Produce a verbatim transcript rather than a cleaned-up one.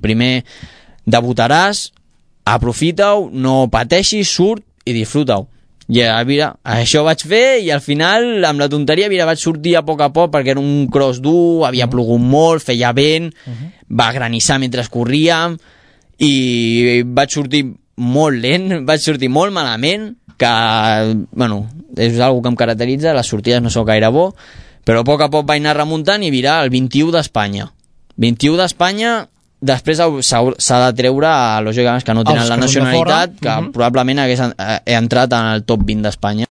primer debutaràs, aprofita-ho, no pateixis, surt i disfruta-ho. I mira, això vaig fer i al final amb la tonteria mira, vaig sortir a poc a poc perquè era un cross dur, havia plogut molt, feia vent, uh-huh. va granissar mentre corríem i vaig sortir molt lent, vaig sortir molt malament, que bueno, és una cosa que em caracteritza, les sortides no són gaire bo, però a poc a poc vaig anar remuntant i mira, el vint-i-u d'Espanya vint-i-u d'Espanya, després s'ha de treure lògicament que no tenen la nacionalitat, que uh-huh. probablement hagués entrat en el top vint d'Espanya.